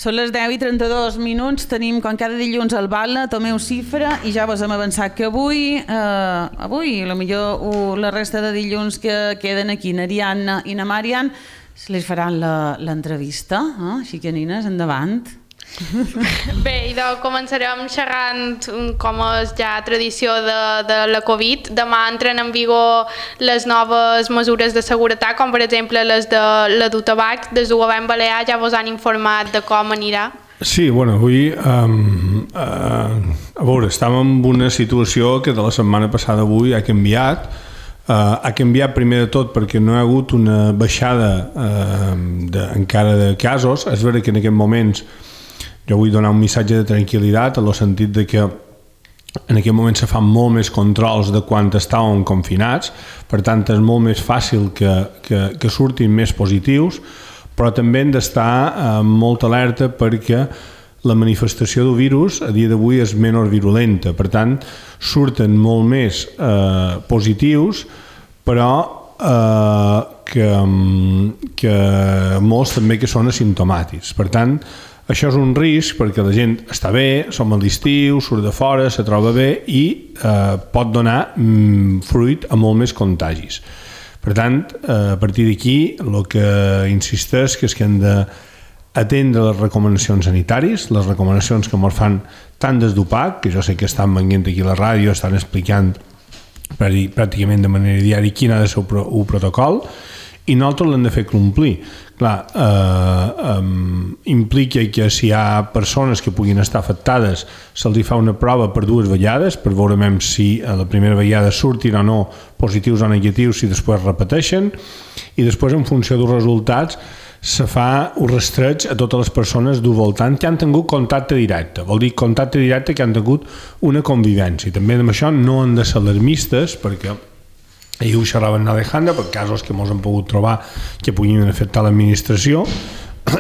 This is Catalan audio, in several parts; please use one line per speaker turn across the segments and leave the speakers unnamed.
Són les 10:32, tenim com cada dilluns el Bala, Tomeu Cifra, i ja vos hem avançat que avui, potser la resta de dilluns que queden aquí, n'Ariadna i na Marian, se les faran l'entrevista, així que nines, endavant.
Bé, idò, començarem xerrant com és ja tradició de la Covid. Demà entren en vigor les noves mesures de seguretat, com per exemple les de la du tabac. Des del govern balear ja vos han informat de com anirà.
Sí, bueno, avui a veure, estàvem en una situació que de la setmana passada avui ha canviat. Ha canviat primer de tot perquè no hi ha hagut una baixada encara de casos. És vera que en aquests moments jo vull donar un missatge de tranquil·litat en el sentit de que en aquest moment se fan molt més controls de quan estàvem confinats, per tant és molt més fàcil que surtin més positius, però també hem d'estar molt alerta perquè la manifestació del virus a dia d'avui és menys virulenta, per tant surten molt més positius, però que molts també que són asimptomàtics. Per tant, això és un risc perquè la gent està bé, som a l'estiu, surt de fora, se troba bé i pot donar fruit a molt més contagis. Per tant, a partir d'aquí, el que insisteix és que hem d'atendre les recomanacions sanitàries, les recomanacions que ens fan tant des d'UPAC, que jo sé que estan venint aquí a la ràdio, estan explicant pràcticament de manera diària quin ha de ser el protocol, i nosaltres l'hem de fer complir. Clar, implica que si hi ha persones que puguin estar afectades se'ls fa una prova per 2 vegades per veure si a la primera vegada surtin o no positius o negatius, si després repeteixen, i després en funció dels resultats se fa un rastreig a totes les persones del voltant que han tingut contacte directe. Vol dir contacte directe que han tingut una convivència. I també amb això no han de ser alarmistes, perquè ahir ho xerrava en Alejandra, per casos que ens hem pogut trobar que puguin afectar l'administració.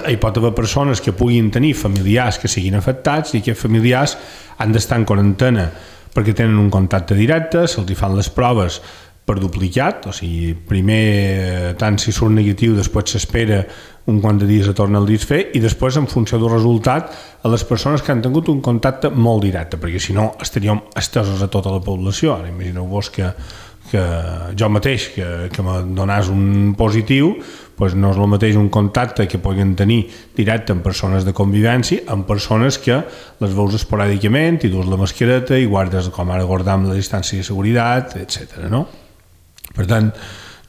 Hi pot haver persones que puguin tenir familiars que siguin afectats i aquests familiars han d'estar en quarantena perquè tenen un contacte directe, se'ls fan les proves per duplicat, o sigui, primer tant si surt negatiu, després s'espera un quant de dies a tornar el fer i després en funció del resultat a les persones que han tingut un contacte molt directe, perquè si no estaríem estesos a tota la població. Ara imagineu-vos que jo mateix que me donàs un positiu, doncs no és el mateix un contacte que puguin tenir directe amb persones de convivència amb persones que les veus esporàdicament i dus la mascareta i guardes com ara guardam la distància de seguretat, etc. No? Per tant,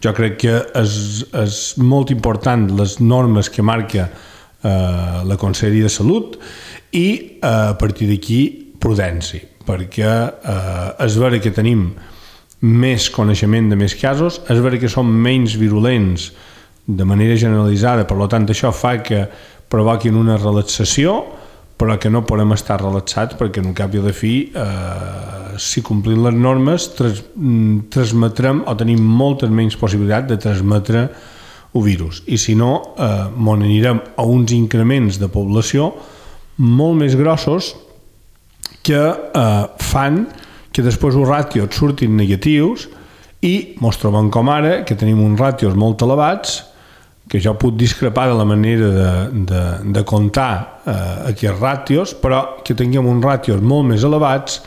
jo crec que és molt important les normes que marca la Conselleria de Salut i a partir d'aquí prudència, perquè és vera que tenim més coneixement de més casos, és vera que són menys virulents de manera generalitzada, per tant això fa que provoquin una relaxació, però que no podem estar relaxats perquè en un cap i a la fi si complim les normes transmetrem o tenim moltes menys possibilitats de transmetre el virus, i si no anirem a uns increments de població molt més grossos que fan que després els ràtios surtin negatius i ens trobem com ara, que tenim uns ràtios molt elevats, que jo puc discrepar de la manera de comptar aquests ràtios, però que tinguem uns ràtios molt més elevats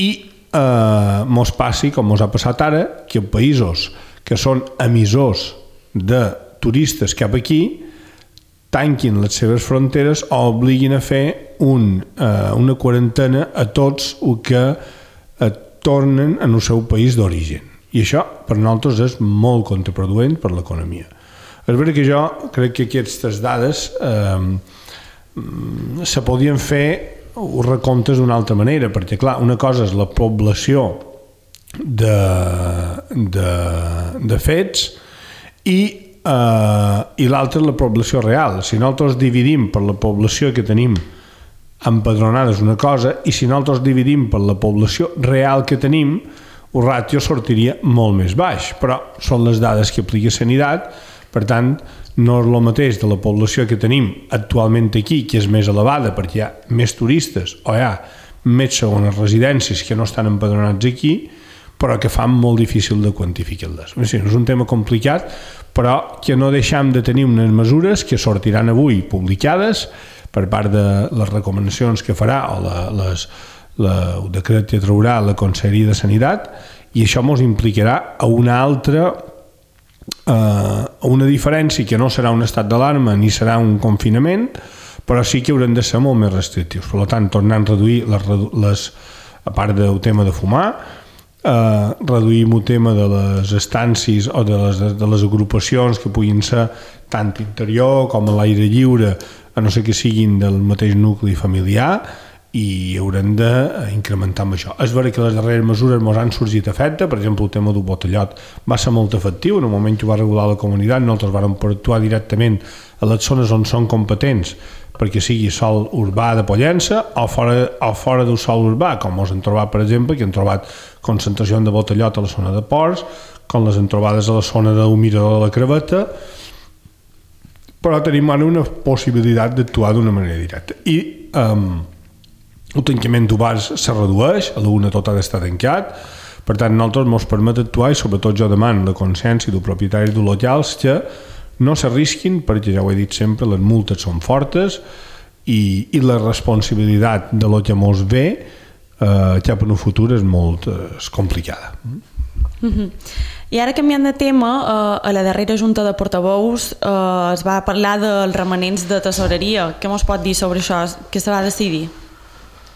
i ens passi, com ens ha passat ara, que en països que són emissors de turistes cap aquí tanquin les seves fronteres o obliguin a fer una quarantena a tots els que tornen en el seu país d'origen. I això per nosaltres és molt contraproduent per l'economia. És veritat que jo crec que aquestes dades se podien fer els recomptes d'una altra manera, perquè clar, una cosa és la població de fets i l'altra és la població real. Si nosaltres dividim per la població que tenim empadronada és una cosa, i si nosaltres dividim per la població real que tenim, el ràtio sortiria molt més baix, però són les dades que aplica Sanitat. Per tant, no és el mateix de la població que tenim actualment aquí, que és més elevada perquè hi ha més turistes o hi ha més segones residències que no estan empadronats aquí, però que fan molt difícil de quantificar-les. És un tema complicat, però que no deixem de tenir unes mesures que sortiran avui publicades per part de les recomanacions que farà o el decret que traurà la Conselleria de Sanitat, i això ens implicarà a una altra una diferència que no serà un estat d'alarma ni serà un confinament, però sí que haurem de ser molt més restrictius. Per tant, tornant a reduir a part del tema de fumar, reduïm el tema de les estàncies o de les agrupacions que puguin ser tant interior com a l'aire lliure, a no ser que siguin del mateix nucli familiar, i haurem d'incrementar amb això. És vera que les darreres mesures ens han sorgit efecte, per exemple el tema del botellot va ser molt efectiu, en el moment que ho va regular la comunitat nosaltres vam actuar directament a les zones on són competents perquè sigui sòl urbà de Pollença o fora del sòl urbà, com ens hem trobat per exemple, que hem trobat concentració de botellot a la zona de ports, com les hem trobades a la zona del mirador de la Creveta, però tenim ara una possibilitat d'actuar d'una manera directa. I el tancament d'obars se redueix, a l'una tot ha d'estar tancat, per tant nosaltres ens permet actuar i sobretot jo demano la consciència dels propietaris de locals que no s'arrisquin perquè ja ho he dit sempre, les multes són fortes i la responsabilitat de lo que mos ve cap en un futur és molt complicada.
I ara canviant de tema, a la darrera junta de portaveus es va parlar dels remanents de tesoreria. Què mos pot dir sobre això? Què se va decidir?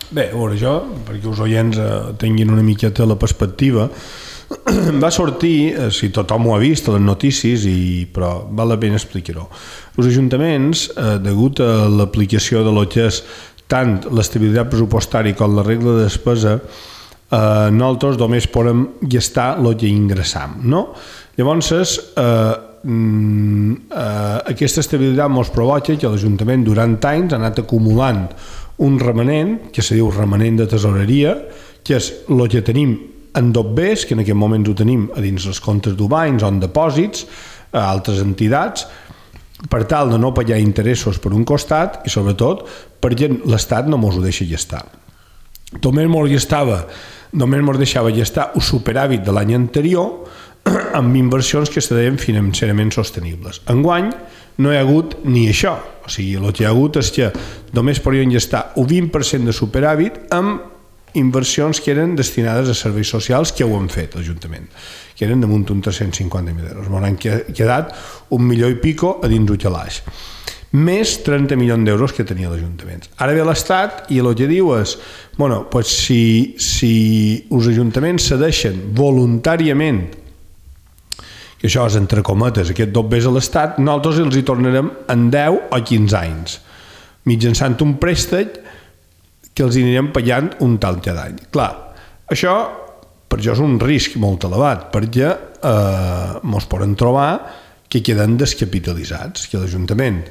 Bé, a veure, jo, perquè els oients tinguin una miqueta la perspectiva, va sortir, si tothom ho ha vist a les notícies, però val la pena explicar-ho. Els ajuntaments, degut a l'aplicació de lo que és tant l'estabilitat pressupostària com la regla de despesa, nosaltres només podem gastar el que ingressam, no? Llavors, aquesta estabilitat ens provoca que l'Ajuntament durant anys ha anat acumulant un remanent, que se diu remanent de tesoreria, que és el que tenim en dobbers, que en aquest moment ho tenim a dins els comptes d'Ubanys o en depòsits a altres entitats, per tal de no pagar interessos per un costat i sobretot perquè l'Estat no ens ho deixa gastar. Només ens deixava gastar el superàvit de l'any anterior amb inversions que se deien financerament sostenibles. Enguany no hi ha hagut ni això, o sigui, el que hi ha hagut és que només podien gastar un 20% de superàvit amb inversions que eren destinades a serveis socials que ho han fet l'Ajuntament, que eren damunt uns 350.000 euros. M'han quedat $1 milió i pico a dins el calaix, més 30 milions d'euros que tenia l'Ajuntament. Ara ve l'Estat i el que diu és bueno, pues si els ajuntaments cedeixen voluntàriament, que això és entre cometes, aquest dobbers a l'Estat, nosaltres els hi tornarem en 10 o 15 anys, mitjançant un préstec que els anirem pagant un tal cada any. Clar, això per això és un risc molt elevat, perquè ens poden trobar que queden descapitalitzats, que l'Ajuntament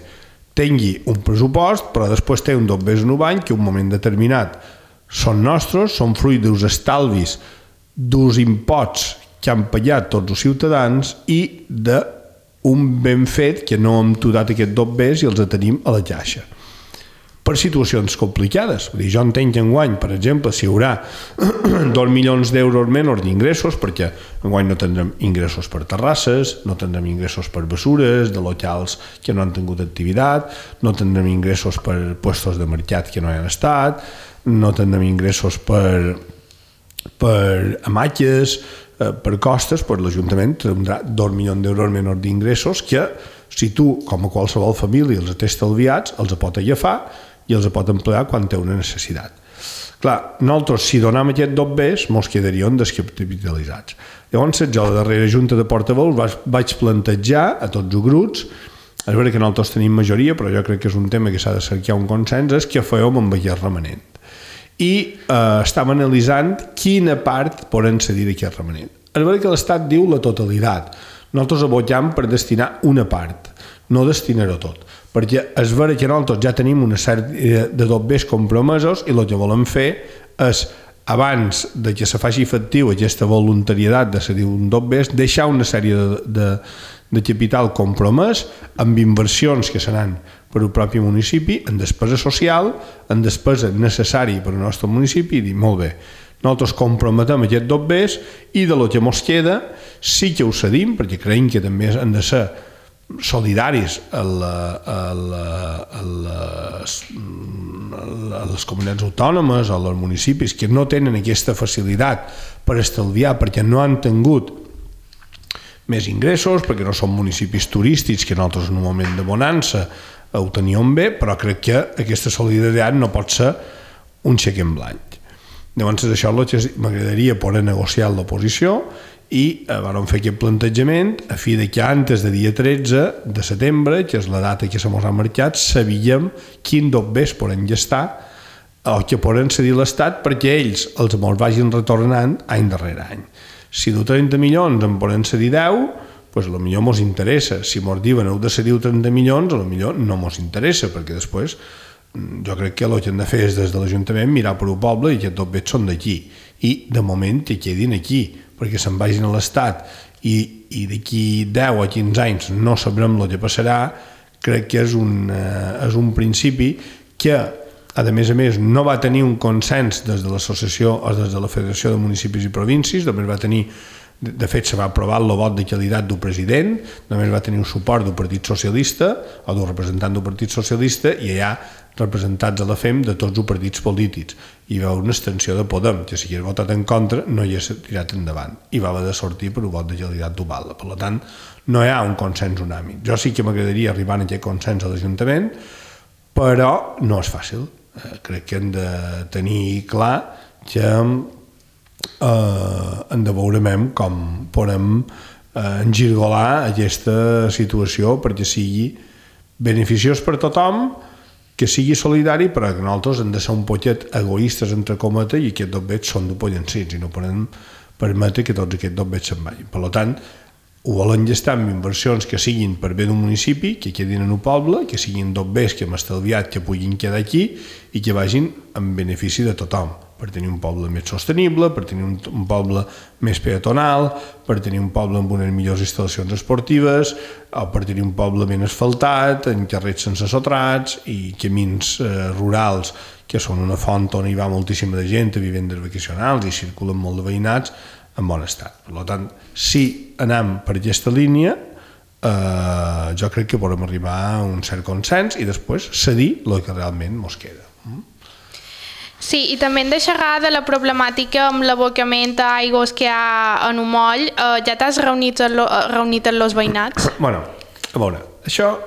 tingui un pressupost, però després té un dobbers en un any que en un moment determinat són nostres, són fruit dels estalvis dels imposts que han pagat tots els ciutadans i d'un ben fet que no hem tudat aquest dobbers i els tenim a la caixa. Per situacions complicades. Jo entenc que enguany, per exemple, si hi haurà 2 milions d'euros menys d'ingressos, perquè enguany no tindrem ingressos per terrasses, no tindrem ingressos per bessures, de locals que no han tingut activitat, no tindrem ingressos per puestos de mercat que no hi han estat, no tindrem ingressos per hamatges, per costes, l'Ajuntament tindrà 2 milions d'euros menys d'ingressos que, si tu, com a qualsevol família, els té estalviats, els pot agafar i els pot emplear quan té una necessitat. Clar, nosaltres, si donem aquest dobbers, ens quedaríem descapitalitzats. Llavors, jo, a la darrera junta de portaveus, vaig plantejar a tots els grups, és veritat que nosaltres tenim majoria, però jo crec que és un tema que s'ha de cercar un consens, és què fèiem amb aquest remanent. I estàvem analitzant quina part poden cedir d'aquest remanent. És veritat que l'Estat diu la totalitat. Nosaltres aboquem per destinar una part, no destinar-ho tot, perquè és veritat que nosaltres ja tenim una sèrie de dobbers compromesos i el que volem fer és, abans de que se faci efectiu aquesta voluntaritat de cedir un dobbers, deixar una sèrie de capital compromès amb inversions que seran per al propi municipi, en despesa social, en despesa necessària per al nostre municipi, i dir, molt bé, nosaltres comprometem aquest dobbers i de lo que ens queda sí que ho cedim, perquè creiem que també han de ser solidaris a les comunitats autònomes o als municipis que no tenen aquesta facilitat per estalviar perquè no han tingut més ingressos, perquè no són municipis turístics que nosaltres en un moment de bonança ho teníem bé, però crec que aquesta solidaritat no pot ser un xec en blanc. Llavors això és el que m'agradaria poder negociar amb l'oposició i vam fer aquest plantejament a fi de que antes de dia 13 de setembre, que és la data que se mos ha marcat, sabíem quin dobbers poden gastar o que poden cedir l'Estat perquè ells els mos vagin retornant any darrere any. Si de 30 milions en poden cedir 10, doncs potser mos interessa. Si mos diuen heu de cedir 30 milions, potser no mos interessa, perquè després jo crec que el que hem de fer és des de l'Ajuntament mirar per un poble i que tots bé són d'aquí i de moment que quedin aquí, perquè se'n vagin a l'Estat i d'aquí 10 o 15 anys no sabrem el que passarà. Crec que és un principi que a més no va tenir un consens des de l'associació o des de la Federació de Municipis i Províncies, només va tenir, de fet se va aprovar el vot de qualitat del president, només va tenir un suport del Partit Socialista o del representant del Partit Socialista i hi ha representats a la FEM de tots els partits polítics. Hi va una extensió de Podem, que si hagués votat en contra no hi hagués tirat endavant i va haver de sortir per un vot de qualitat global. Per tant, no hi ha un consens unànime. Jo sí que m'agradaria arribar a aquest consens a l'Ajuntament, però no és fàcil. Crec que hem de tenir clar que hem de veure com podem engirgolar aquesta situació perquè sigui beneficiós per tothom, que sigui solidari, però que nosaltres hem de ser un poquet egoistes, entre cometes, i aquests dobbets són d'opollancits i no podem permetre que tots aquests dobbets se'n vagin. Per tant, ho volen gastar amb inversions que siguin per bé d'un municipi, que quedin en un poble, que siguin dobbers que hem estalviat, que puguin quedar aquí i que vagin en benefici de tothom, per tenir un poble més sostenible, per tenir un poble més peatonal, per tenir un poble amb unes millors instal·lacions esportives, o per tenir un poble ben asfaltat, en carrers sense sotrats i camins rurals que són una font on hi va moltíssima de gent a vivendes vacacionals i circulen molt de veïnats en bon estat. Per tant, si anem per aquesta línia, jo crec que podem arribar a un cert consens i després cedir el que realment ens queda.
Sí, i també hem de xerrar de la problemàtica amb l'abocament d'aigües que hi ha en un moll. Ja t'has reunit amb els veïnats?
Bueno, a veure, això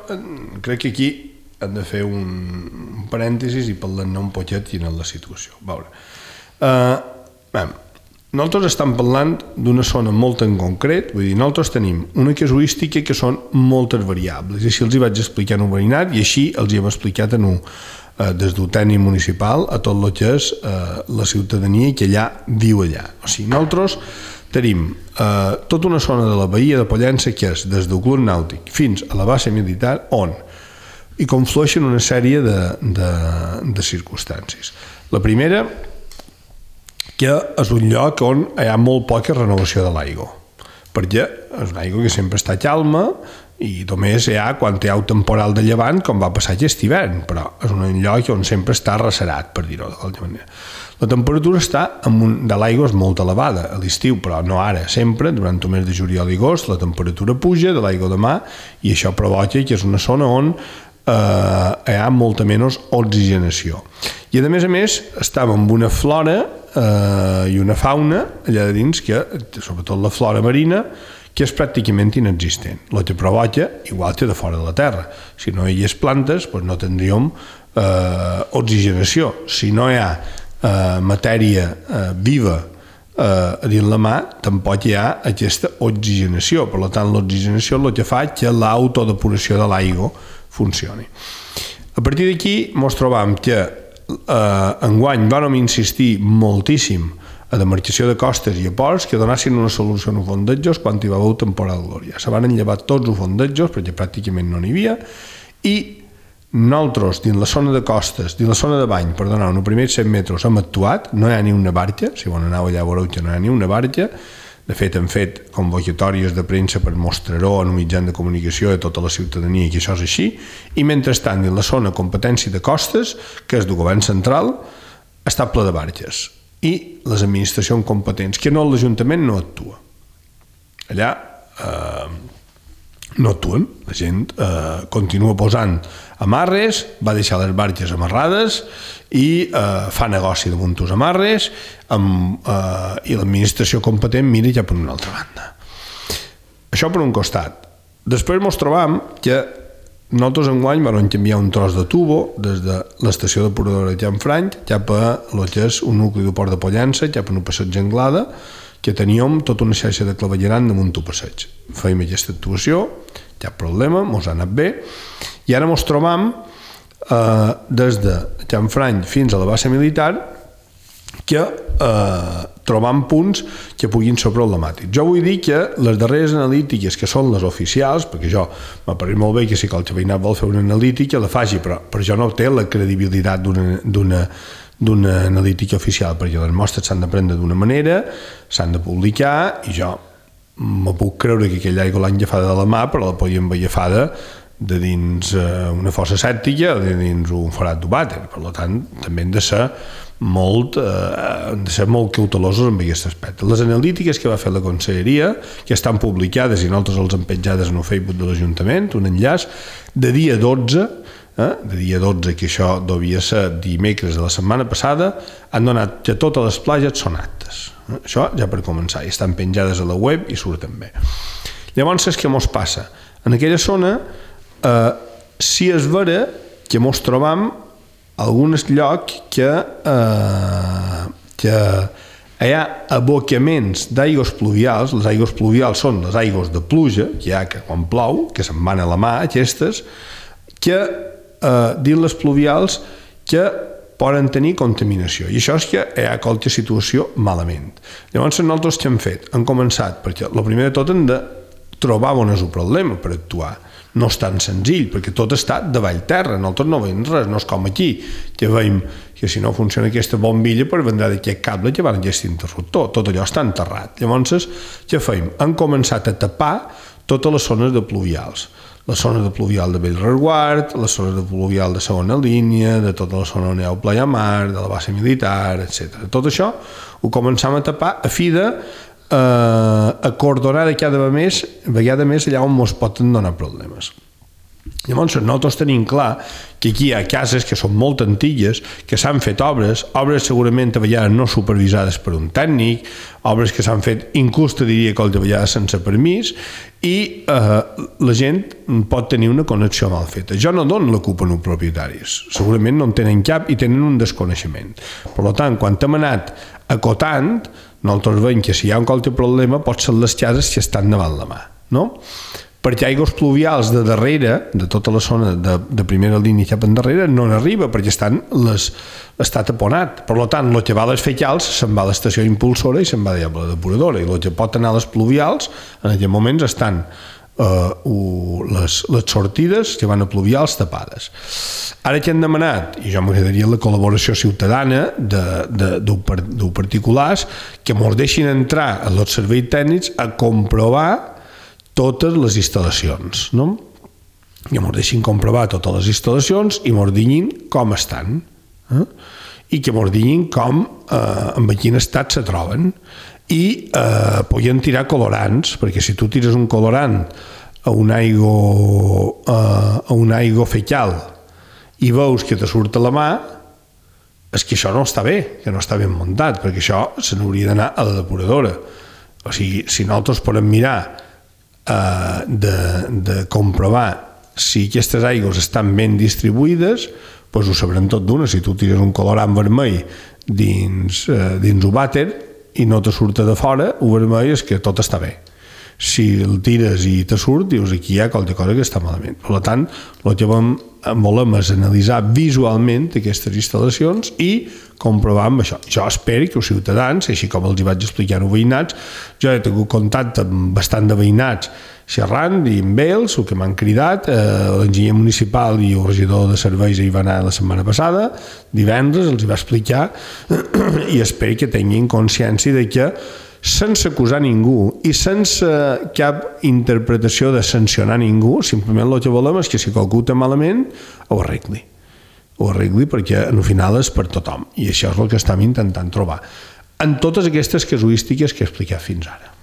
crec que aquí hem de fer un parèntesis i parlar-ne un poquet quina és la situació. A veure, nosaltres estem parlant d'una zona molt en concret, vull dir, nosaltres tenim una casuística que són moltes variables, i així els hi vaig explicar en un veïnat i així els hi hem explicat des del tècnic municipal a tot el que és la ciutadania que allà viu allà. O sigui, nosaltres tenim tota una zona de la Badia de Pollença que és des del Club Nàutic fins a la base militar on hi conflueixen una sèrie de circumstàncies. La primera, que és un lloc on hi ha molt poca renovació de l'aigua, perquè és una aigua que sempre està calma i només hi ha quan hi ha un temporal de llevant, com va passar aquest hivern, però és un lloc on sempre està arrecerat, per dir-ho d'alguna manera. La temperatura de l'aigua és molt elevada a l'estiu, però no ara, sempre, durant el mes de juliol i agost, la temperatura puja de l'aigua de mar i això provoca que és una zona on hi ha molta menys oxigenació. I a més, estava amb una flora i una fauna allà de dins, que sobretot la flora marina, que és pràcticament inexistent. El que provoca, igual que de fora de la Terra. Si no hi hagués plantes, doncs no tindríem oxigenació. Si no hi ha matèria viva a dins la mà, tampoc hi ha aquesta oxigenació. Per tant, l'oxigenació és el que fa que l'autodepuració de l'aigua funcioni. A partir d'aquí ens trobam que enguany vam insistir moltíssim a demarcació de costes i a ports que donassin una solució en els fondejos quan hi va haver temporal glòria. Se van enllevar tots els fondejos perquè pràcticament no n'hi havia i nosaltres dins la zona de costes, dins la zona de bany, perdoneu, en els primers 100 metres hem actuat, no hi ha ni una barca, si bon aneu allà veureu que no hi ha ni una barca. De fet, hem fet convocatòries de premsa per mostrar-ho en un mitjà de comunicació de tota la ciutadania que això és així, i mentrestant dins la zona competència de costes, que és del govern central, està ple de barques. I les administracions competents, que no l'Ajuntament no actua. Allà no actuen. La gent continua posant amarres, va deixar les barques amarrades i fa negoci damunt els amarres i l'administració competent mira ja per una altra banda. Això per un costat. Després ens trobam que nosaltres enguany vam canviar un tros de tubo des de l'estació depuradora de Canfranc cap a el que és un nucli de Port de Pollença, cap a un passeig Anglada, que teníem tota una xarxa de clavegueram damunt un passeig. Fèiem aquesta actuació, cap problema, mos ha anat bé, i ara mos trobam des de Canfranc fins a la base militar que trobam punts que puguin ser problemàtics. Jo vull dir que les darreres analítiques, que són les oficials, perquè jo m'apareix molt bé que si qualsevol veïnat vol fer una analítica la faci, però jo no té la credibilitat d'una analítica oficial, perquè les mostres s'han de prendre d'una manera, s'han de publicar, i jo me puc creure que aquella aigua l'han agafada de la mà, però la podien haver agafada de dins una fossa sèptica o de dins un forat d'ovàter. Per tant, també hem de ser molt cautelosos amb aquest aspecte. Les analítiques que va fer la Conselleria, que estan publicades i nosaltres els hem penjades en el Facebook de l'Ajuntament, un enllaç de dia 12, que això devia ser dimecres de la setmana passada, han donat que totes les platges són aptes. Això ja per començar, i estan penjades a la web i surten bé. Llavors, què mos passa? En aquella zona, si és vera que mos trobam alguns llocs que hi ha abocaments d'aigües pluvials. Les aigües pluvials són les aigües de pluja que hi ha quan plou, que se'n van a la mà aquestes, que dins les pluvials que poden tenir contaminació, i això és que hi ha qualsevol situació malament. Llavors nosaltres què hem fet? Hem començat, perquè el primer de tot hem de trobar on és el problema per actuar. No és tan senzill, perquè tot està davall terra, nosaltres no veiem res, no és com aquí, que veiem que si no funciona aquesta bombilla per vendrà d'aquest cable que va en aquest interruptor, tot allò està enterrat. Llavors, què fem? Hem començat a tapar totes les zones de pluvials, la zona de pluvial de Bellreguard, la zona de pluvial de segona línia, de tota la zona on hi ha el Playa Mar, de la base militar, etc. Tot això ho començam a tapar a fi de acordonar de cada vegada més allà on ens poden donar problemes. Llavors nosaltres tenim clar que aquí hi ha cases que són molt antigues, que s'han fet obres segurament a vegades no supervisades per un tècnic, obres que s'han fet inclús te diria que de vegades sense permís, i la gent pot tenir una connexió mal feta. Jo no dono la culpa als propietaris, segurament no en tenen cap i tenen un desconeixement. Per tant, quan hem anat acotant, nosaltres veiem que si hi ha un qualsevol problema pot ser les cases que estan davant la mà, no? Perquè aigües pluvials de darrere, de tota la zona de primera línia cap endarrere, no n'arriba perquè està taponat. Per tant, el que va a les fecals se'n va a l'estació impulsora i se'n va a la depuradora, i el que pot anar a les pluvials en aquests moments estan les sortides que van a pluvials tapades. Ara que hem demanat, i jo m'agradaria la col·laboració ciutadana d'un particulars que ens deixin entrar a els serveis tècnics a comprovar totes les instal·lacions, no? Que ens deixin comprovar totes les instal·lacions i ens diguin com estan, i que ens diguin en quin estat se troben, i podien tirar colorants, perquè si tu tires un colorant a un aigua fecal i veus que te surt a la mà, és que això no està bé, que no està ben muntat, perquè això se n'hauria d'anar a la depuradora. O sigui, si nosaltres podem mirar de comprovar si aquestes aigües estan ben distribuïdes, doncs ho sabrem tot d'una. Si tu tires un colorant vermell dins un vàter i no te surt de fora, el vermell és que tot està bé. Si el tires i te surt, dius aquí hi ha qualsevol cosa que està malament. Per tant, el que volem és analitzar visualment aquestes instal·lacions i comprovar amb això. Jo espero que els ciutadans, així com els hi vaig explicar als veïnats, jo he tingut contacte amb bastant de veïnats xerrant i amb ells, el que m'han cridat, l'enginyer municipal i el regidor de serveis hi va anar la setmana passada, divendres els hi va explicar i espero que tinguin consciència de que sense acusar ningú i sense cap interpretació de sancionar ningú, simplement el que volem és que si qualcú té malament ho arregli perquè al final és per tothom, i això és el que estem intentant trobar en totes aquestes casuístiques que he explicat fins ara.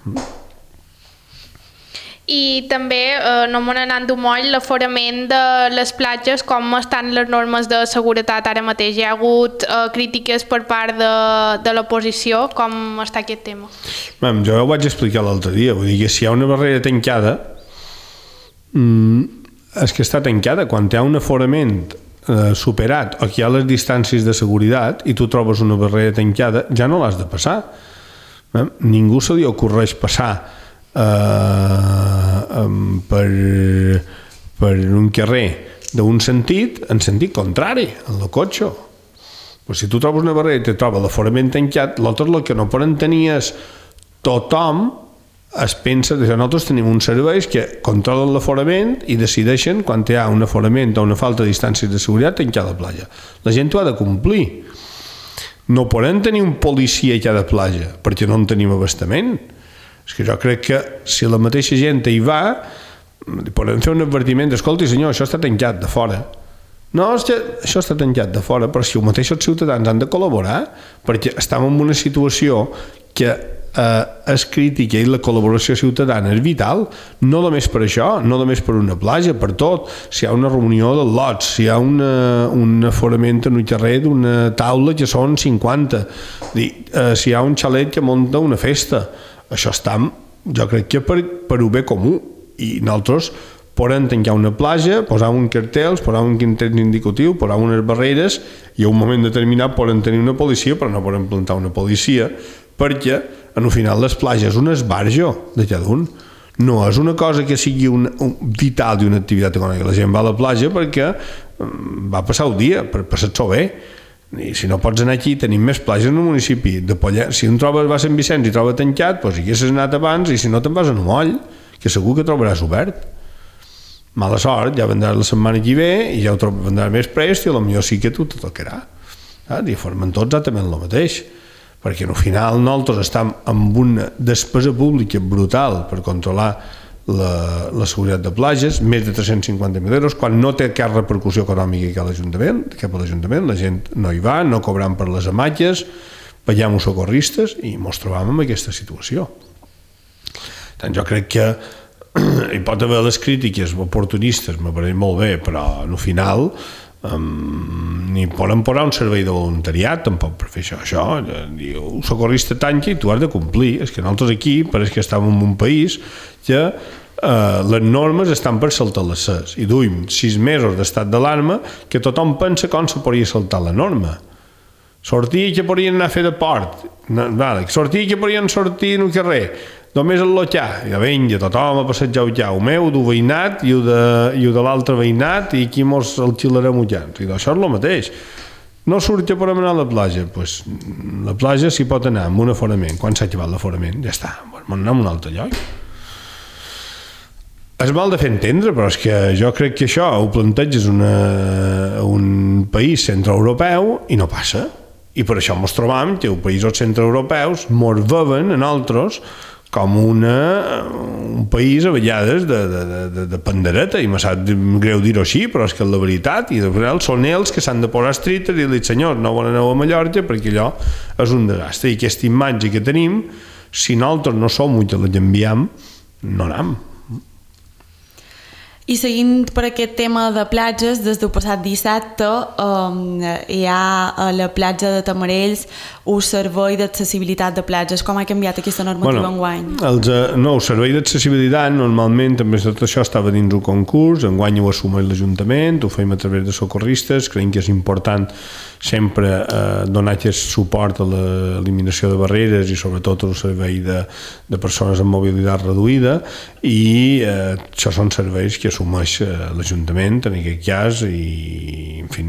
I també, no me n'anant molt, l'aforament de les platges, com estan les normes de seguretat ara mateix. Hi ha hagut crítiques per part de l'oposició, com està aquest tema?
Jo ho vaig explicar l'altre dia, vull dir que si hi ha una barrera tancada, és que està tancada. Quan hi ha un aforament superat o que hi ha les distàncies de seguretat i tu trobes una barrera tancada, ja no l'has de passar. Ningú se li ocorreix passar per un carrer d'un sentit en sentit contrari, en el cotxe. Però si tu trobes una barrera i te troba l'aforament tancat, l'altre el que no poden tenir és tothom es pensa que nosaltres tenim uns serveis que controlen l'aforament i decideixen quan hi ha un aforament o una falta de distàncies de seguretat tancar la platja. La gent ho ha de complir. No podem tenir un policia a cada platja perquè no en tenim abastament. És que jo crec que si la mateixa gent hi va, podem fer un advertiment, escolti senyor, això està tancat de fora. No, és que això està tancat de fora, però si els mateixos ciutadans han de col·laborar, perquè estem en una situació que és crítica i la col·laboració ciutadana és vital, no només per això, no només per una platja, per tot. Si hi ha una reunió de lots, si hi ha un aforament en un carrer d'una taula que són 50, si hi ha un xalet que munta una festa, això està, jo crec que per un bé comú, i nosaltres podem tancar una platja, posar un cartell, posar un cartell indicatiu, posar unes barreres i a un moment determinat podem tenir una policia, però no podem plantar una policia perquè en el final les platges un esbarjo de cada un. No és una cosa que sigui vital d'una activitat econòmica. La gent va a la platja perquè va passar el dia, per passar-s'ho bé. I si no pots anar aquí, tenim més platges en el municipi de Pollença. Si un va a Sant Vicenç i troba tancat, doncs hi haguessis anat abans, i si no te'n vas a Moll, que segur que trobaràs obert. Mala sort, ja vendràs la setmana que ve i ja ho vendràs més prest i potser sí que tu te tocarà. I formen tots exactament el mateix, perquè al final nosaltres estem amb una despesa pública brutal per controlar la seguretat de platges, més de 350.000 euros, quan no té cap repercussió econòmica cap a l'Ajuntament, la gent no hi va, no cobram per les hamaques, veiem els socorristes i ens trobam en aquesta situació. Tant jo crec que hi pot haver les crítiques oportunistes, me pareix molt bé, però al final ni poden posar un servei de voluntariat tampoc per fer això. Un socorrista tanca i tu has de complir. És que nosaltres aquí pareix que estem en un país que les normes estan per saltar les ses i duim 6 mesos d'estat d'alarma que tothom pensa com se podria saltar la norma. Sortir que podrien anar a fer de port, sortir que podrien sortir en el carrer, només el lotjà, i vinga, tothom a passejar ja, el meu, del veïnat i el de l'altre veïnat, i aquí mos el xilarem ullants. I això és el mateix. No surt que podem anar a la platja, doncs la platja s'hi pot anar amb un aforament. Quan s'ha acabat l'aforament? Ja està, anem a un altre lloc. És mal de fer entendre, però és que jo crec que això ho planteges un país centroeuropeu i no passa. I per això ens trobam que els països centroeuropeus ens veuen a nosaltres com un país a vegades de pandereta, i me sap greu dir-ho així, però és que és la veritat, i de final són ells que s'han de posar estrictes i dir, senyors, no volen anar a Mallorca perquè allò és un desastre. I aquesta imatge que tenim, si nosaltres no som els que la enviem, no anem.
I seguint per aquest tema de platges, des del passat dissabte hi ha a la platja de Tamarells un servei d'accessibilitat de platges. Com ha canviat aquesta normativa enguany?
No, el servei d'accessibilitat normalment també tot això estava dins un concurs, enguany ho assumeix l'Ajuntament, ho fem a través de socorristes, creiem que és important sempre donar aquest suport a l'eliminació de barreres i sobretot al servei de persones amb mobilitat reduïda, i això són serveis que assumeix l'Ajuntament en aquest cas, i en fi,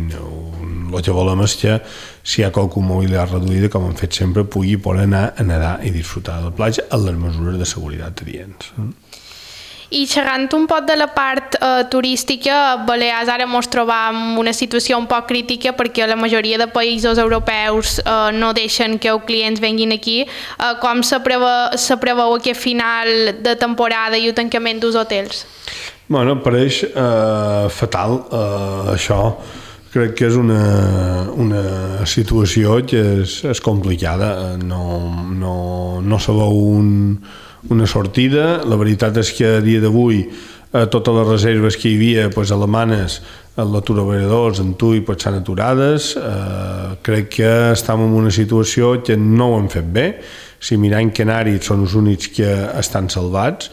el que volem és que si hi ha qualcú amb mobilitat reduïda, com hem fet sempre, pugui poder anar a nedar i disfrutar de la platja amb les mesures de seguretat adients.
I xerrant un poc de la part turística, Balears ara ens trobam en una situació un poc crítica perquè la majoria de països europeus no deixen que els clients venguin aquí. Com se preveu aquest final de temporada i el tancament dels hotels?
Bueno, pareix fatal això. Crec que és una situació que és complicada. No se veu una sortida. La veritat és que a dia d'avui totes les reserves que hi havia alemanes en la Turoveradors, en Tui, s'han aturades. Crec que estem en una situació que no ho hem fet bé. Si mirem Canàries són els únics que estan salvats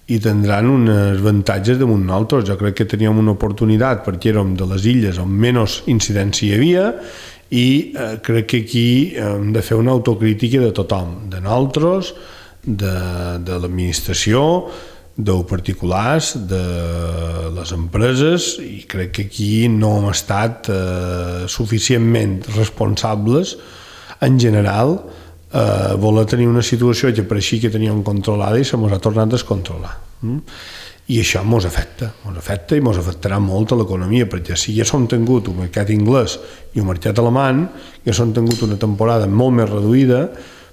i tindran uns avantatges damunt nosaltres. Jo crec que teníem una oportunitat perquè érem de les illes on menys incidència hi havia i crec que aquí hem de fer una autocrítica de tothom, de nosaltres, de l'administració, dels particulars, de les empreses, i crec que aquí no hem estat suficientment responsables en general voler tenir una situació que pareixia que teníem controlada i se mos ha tornat a descontrolar. I això mos afecta i mos afectarà molt a l'economia, perquè si ja som tingut un mercat anglès i un mercat alemany, ja som tingut una temporada molt més reduïda,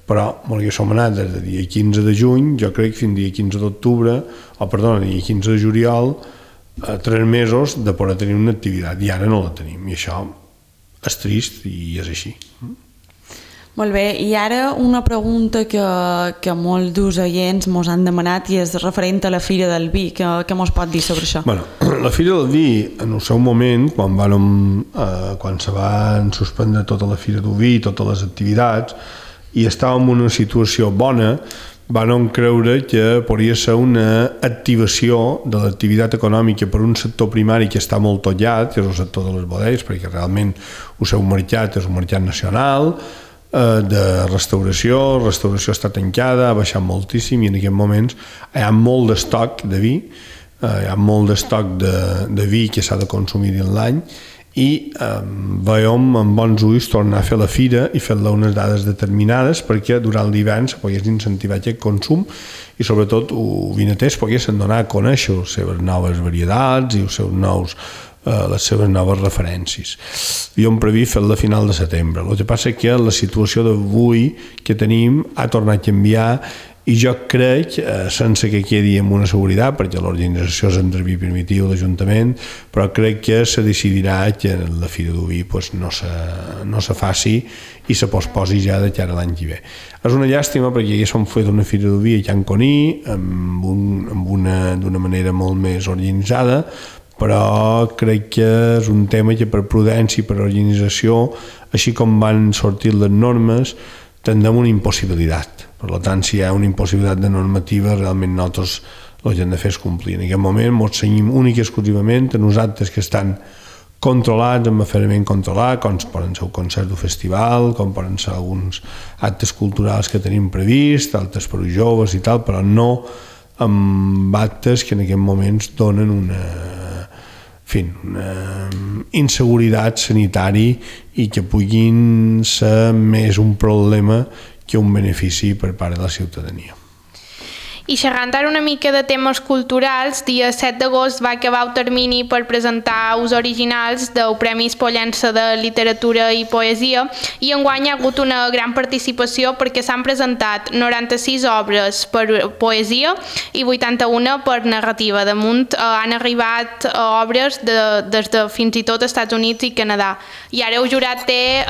però ja som anat des del dia 15 de juny, jo crec fins dia 15 d'octubre, dia 15 de juliol, 3 mesos de poder tenir una activitat, i ara no la tenim, i això és trist i és així.
Molt bé, i ara una pregunta que molts dels oients mos han demanat i és referent a la Fira del Vi. Què mos pot dir sobre això?
La Fira del Vi, en el seu moment, quan se van suspendre tota la Fira del Vi, totes les activitats, i estàvem en una situació bona, vam creure que podria ser una activació de l'activitat econòmica per un sector primari que està molt tollat, que és el sector de les bodegues, perquè realment el seu mercat és un mercat nacional, de restauració està tancada, ha baixat moltíssim i en aquests moments hi ha molt d'estoc de vi, hi ha molt d'estoc de vi que s'ha de consumir en l'any i veiem amb bons ulls tornar a fer la fira i fer-la unes dades determinades perquè durant l'hivern se pogués incentivar aquest consum i sobretot els vinaters poguessin donar a conèixer les seves noves varietats i els seus les seves noves referències. Havíem previst fer-la a final de setembre. El que passa és que la situació d'avui que tenim ha tornat a canviar i jo crec, sense que quedi amb una seguretat, perquè l'organització és entre vi primitiu l'Ajuntament, però crec que se decidirà que la Fira del Vi no se faci i se posposi ja de cara a l'any que ve. És una llàstima perquè ja s'han fet una Fira del Vi a Can Coní d'una manera molt més organitzada, però crec que és un tema que per prudència i per organització, així com van sortir les normes, tindrem una impossibilitat. Per tant, si hi ha una impossibilitat de normativa, realment nosaltres el que hem de fer és complir. En aquest moment ens cenyim únic i exclusivament a uns actes que estan controlats, amb aferrament controlat, com poden ser el concert del festival, com poden ser alguns actes culturals que tenim previst, altres per als joves i tal, però no amb actes que en aquests moments donen una inseguretat sanitari i que puguin ser més un problema que un benefici per part de la ciutadania.
I xerrant ara una mica de temes culturals, dia 7 d'agost va acabar el termini per presentar els originals del Premi Pollença de Literatura i Poesia i enguany hi ha hagut una gran participació perquè s'han presentat 96 obres per poesia i 81 per narrativa. Damunt han arribat obres des de fins i tot Estats Units i Canadà. I ara el jurat té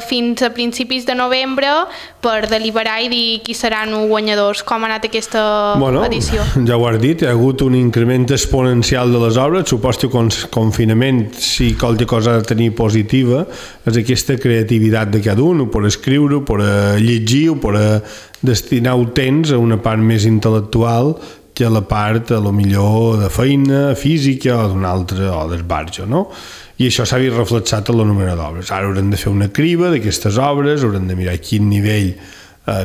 fins a principis de novembre per deliberar i dir qui seran els guanyadors. Com ha anat aquesta edició?
Ja ho has dit, hi ha hagut un increment exponencial de les obres. Suposo que el confinament, si qualque cosa ha de tenir positiva, és aquesta creativitat de cada un, per escriure, per llegir, per destinar el temps a una part més intel·lectual que a la part, a lo millor, de feina, física o d'una altra, o d'esbarjo, no? I això s'ha vist reflexat en el número d'obres. Ara haurem de fer una criba d'aquestes obres, haurem de mirar quin nivell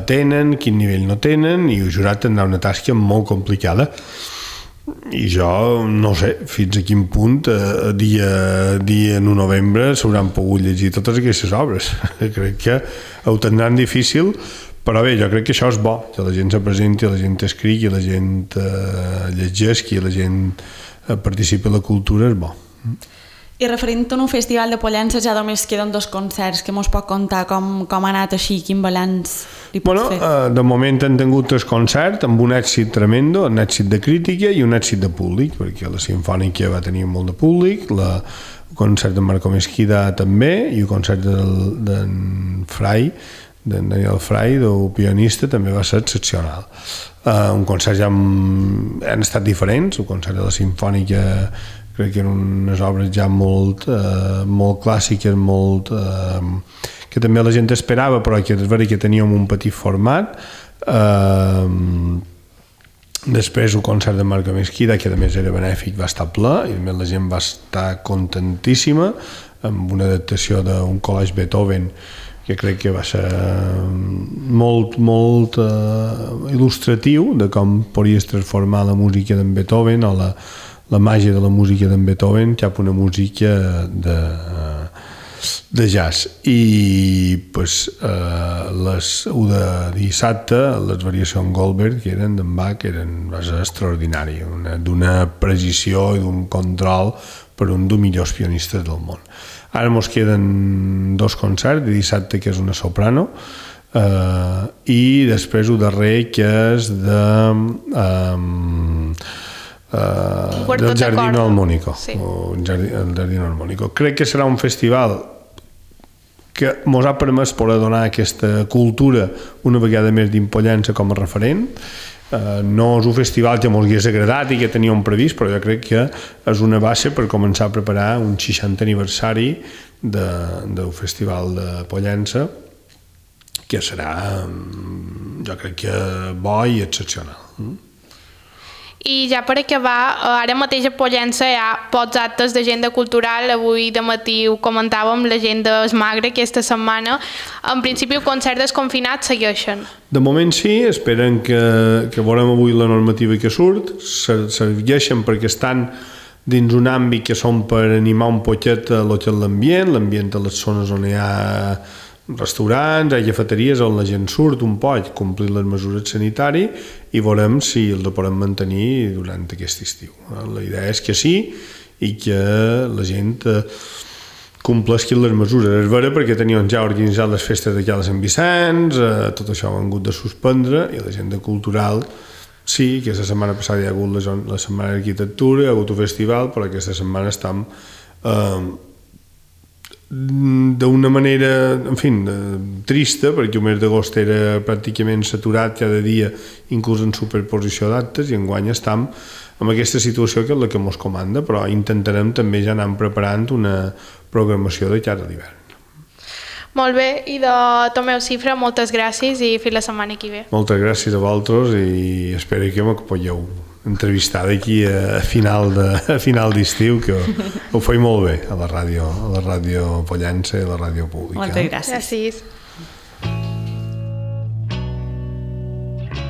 tenen, quin nivell no tenen, i el jurat tindrà una tasca molt complicada. I jo no sé fins a quin punt dia 1 de novembre s'hauran pogut llegir totes aquestes obres. Crec que ho tindran difícil, però bé, jo crec que això és bo, que la gent se presenti, la gent escrigui, la gent llegeixi, la gent participi en la cultura, és bo.
I referint a un festival de Pollença ja només queden 2 concerts, que mos pot contar com ha anat així, quin balanç li pots fer?
De moment hem tingut 3 concerts amb un èxit tremendo, un èxit de crítica i un èxit de públic, perquè la Simfònica va tenir molt de públic, el concert de Marco Mesquida també, i el concert d'en Frai d'en Daniel Fray, del pianista, també va ser excepcional. Un concert ja han estat diferents, el concert de la Simfònica crec que eren unes obres ja molt clàssiques, que també la gent esperava, però que és veritat que teníem un petit format. Després el concert de Marco Mesquida, que a més era benèfic, va estar ple i a més la gent va estar contentíssima, amb una adaptació d'un collage Beethoven que crec que va ser molt il·lustratiu de com podies transformar la música d'en Beethoven o la màgia de la música d'en Beethoven cap a una música de jazz. I pues, de dissabte les variacions Goldberg que eren d'en Bach va ser extraordinari, d'una precisió i d'un control per un dels millors pianistes del món. Ara ens queden 2 concerts, de dissabte que és una soprano i després el darrer que és del Giardino Armonico. Sí. El Giardino Armonico. Crec que serà un festival que ens ha permès poder donar aquesta cultura una vegada més d'Impollença com a referent. No és un festival que ens hagués agradat i que teníem previst, però jo crec que és una base per començar a preparar un 60 aniversari del Festival de Pollença, que serà, jo crec que bo i excepcional.
I ja per acabar, ara mateix a Pollença hi ha pocs actes d'agenda cultural. Avui de matí ho comentàvem, l'agenda és magra aquesta setmana. En principi el concert desconfinat segueixen.
De moment sí, esperen que veurem avui la normativa que surt, segueixen perquè estan dins un àmbit que són per animar un poquet l'ambient a les zones on hi ha restaurants, cafeteries on la gent surt un poc, complir les mesures sanitàries i veurem si els podem mantenir durant aquest estiu. La idea és que sí i que la gent compleixi les mesures. És vera perquè teníem ja organitzat les festes d'aquí a Sant Vicenç, tot això ho han hagut de suspendre i la gent de cultural sí, aquesta setmana passada hi ha hagut la setmana d'arquitectura, hi ha hagut un festival, però aquesta setmana estem d'una manera, en fi, trista, perquè el mes d'agost era pràcticament saturat cada dia, inclús en superposició d'actes, i enguany estem en aquesta situació que és la que ens comanda, però intentarem també ja anar preparant una programació de cara a l'hivern.
Molt bé, i de Tomeu Cifra, moltes gràcies i fins la setmana que ve.
Moltes gràcies a vosaltres i espero que me podeu entrevistar d'aquí a final d'estiu, que ho feia molt bé a la ràdio Pollença i a la ràdio pública.
Moltes gràcies.
Gràcies.